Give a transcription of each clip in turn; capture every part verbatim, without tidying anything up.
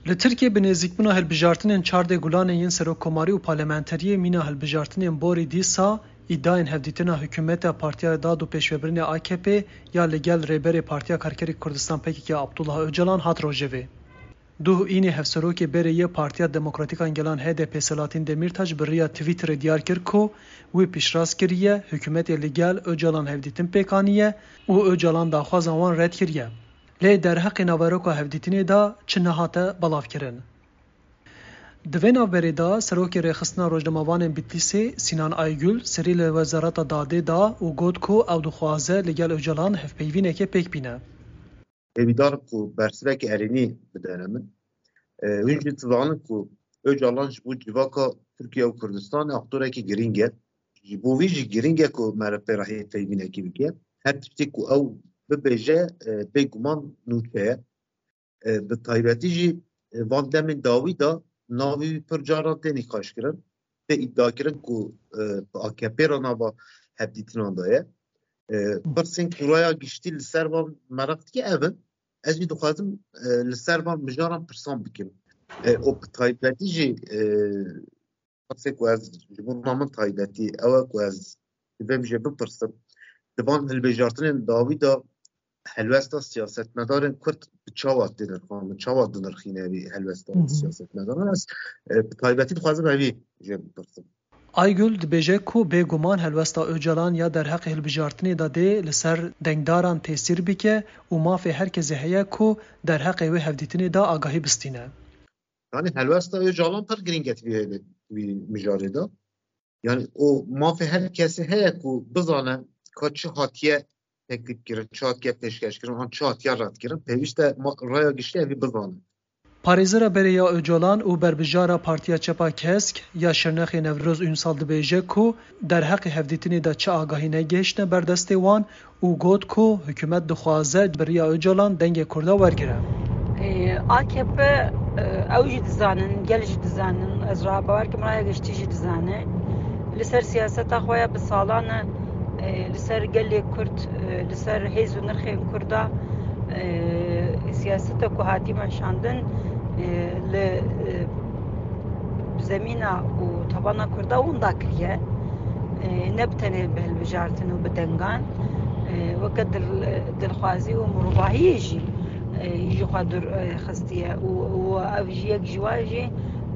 Li Tirkiyê bi nêzîkbûna hilbijartinên çardeh Gulanê yên serokkomarî û parlamenteriyê mîna hilbijartinên borî dîsa îdayên hevdîtina hikûmeta Partiya Dad û Pêşvebirinê A K P ya li gel Rêberê Partiya Karkerê Kurdistan P K K Abdullah Ocalan hat rojevê. Duh Înê hevserokê berê yê Partiya Demokratîk a Gelan H D P Selahattin Demîrtaş bi riya Twitterê diyar kir ku wî piştrast kiriye, hikûmetê li gel Ocalan hevdîtin pêk aniye û Ocalan daxwaza wan red kiriye. Lê derheqê naveroka hevdîtinê de çi nehate belavkirin. Di vê navberê de Serokê Rêxistina Rojnamevanên Bitlîsê Sînan Aygül serî li Wezareta Dadê da û got ku ew dixwaze li gel Ocalan hevpeyvînekê pêk bîne. Hêvîdar im ku bersivekî erênî bidene min. E, hûn jî dizanin ku Ocalan ji bo civaka Tirkiye û Kurdistanê aktorekî girîng e. Ji bo vî jî girîng e ku meriv pê re hêvpeyvînekî bike. Her tiştê ku ew bibêje, e, bêguman nûçe ye. E, bi taybetî jî, e, van demên dawî de navê wî pir caran tê nîqaşkirin, tê îdiakirin ku, e, bi A K P re nava hevdîtinan de ye. E, pirsên ku raya giştî li ser van meraq dike ev in. Ez jî dixwazim, e, li ser van mijaran pirsan bikim. E, û bi taybetî jî, e, pirsê ku ez ji bo min taybetî ew e ku ez divêm jê bipirsim. Di van hilbijartinên dawî de helwesta siyasetmedarên Kurd bi çawa tê nirxandin, çawa dinirxîne vî helwesta Hı hı. siyasetmedaran? Ez, e, bi taybetî dixwazim evî jê bipirsim. Aygül dibêje ku bêguman helwesta Ocalan ya derheqê hilbijartinê de dê li ser dengdaran tesîr bike û mafê her kesê heye ku derheqê wê hevdîtinê de agahî bistîne. Yanî helwesta Ocalan pir girîng e di vî, di vî mijarê de. Yanî û mafê her kesê heye ku bizane ka çi hatiye teklîfkirin, çi hatiye pêşkêşkirin, an çi hatiye redkirin. Pêwîst e ma-, raya giştî evî bizane. Parêzera berê ya Ocalan û berbijara Partiya Çep a Kesk ya Şirnexê Newroz Ünsal dibêje ku derheqê hevdîtinê de çi agahî negihiştine ber destê wan û got ku hikûmet dixwaze bi riya Ocalan dengê Kurda wergire. Ê, A K P, e, ew jî dizanin, gel jî dizanin, ez ra bawer kim raya giştî jî dizane. Li ser siyaseta xwe ya bi salan e, e, li ser gelê Kurd, e, li ser hêz û nirxên Kurda, e, siyaseta ku hatî meşandin, e, li, e, zemîna û tabana Kurda winda kiriye. E, ne bi tenê bi hilbijartin û bi dengan, e, weke dil-, dilxwazî û mirovahiyê jî, e, ji xwe dûr, e, xistiye û, û ev jî yek ji wan jî,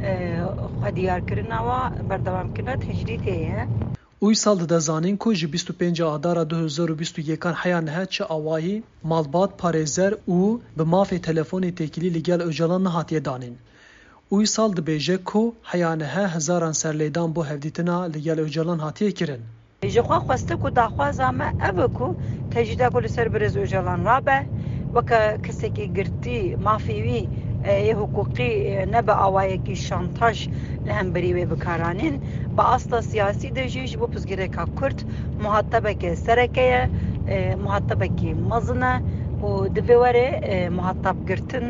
e, xwediyarkirina wa, berdewamkirina tecrîdê ye. Uysal dide zanîn ku ji bîst û pênc Adara du hezar û bîst û yekan heya niha çi awayî malbat, parêzer û bi mafê telefonê têkilî li gel Ocalan nehatiye danîn. Uysal dibêje ku heya niha hezaran serlêdan bo hevdîtina li gel Ocalan hatiye kirin. Ji xwe xwestik û daxwaza me ev e ku tecrîda ku li ser birêz Ocalan rabe, weke kesekî girtî, mafê wî, e, yê hiqûqî, e, ne bi awayekî şantaj li hemberî wê bikaranîn. Bi asta siyasî de jî ji bo pirsgirêka Kurd muhatebeke sereke ye, e, muhatebekî mezin e û divê were, e, muhatab girtin.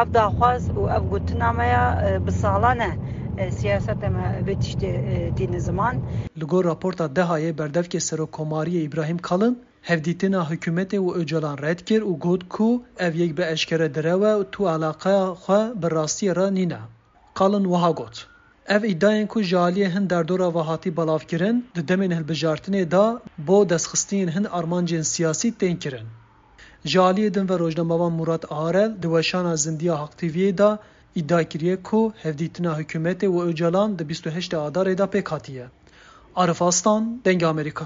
Ev daxwaz û ev gotina me ya, e, bi salan e, e, siyaseta me vê tiştê, e, tîne ziman. Li gor raporta DEHA'yê berdevkê Serokkomariyê Îbrahîm Kalin, hevdîtina hikûmetê û Ocalan red kir û got ku ev yek bi eşkere direw e û tu eleqeya xwe bi rastiyê re nîne. Kalin wiha got, Ev îdayên ku ji aliyê hin derdora ve hatî belavkirin, di demên hilbijartinê de bo destxistinên hin armancên siyasî tên kirin. Ji aliyê din ve rojnamevan Murat Arel di weşana Zindiya Haq T V'yê de îdia kiriye ku hevdîtina hikûmetê û Ocalan di bîst û heştê Adarê de pêk hatiye. Arif Aslan, Dengê Amerîka.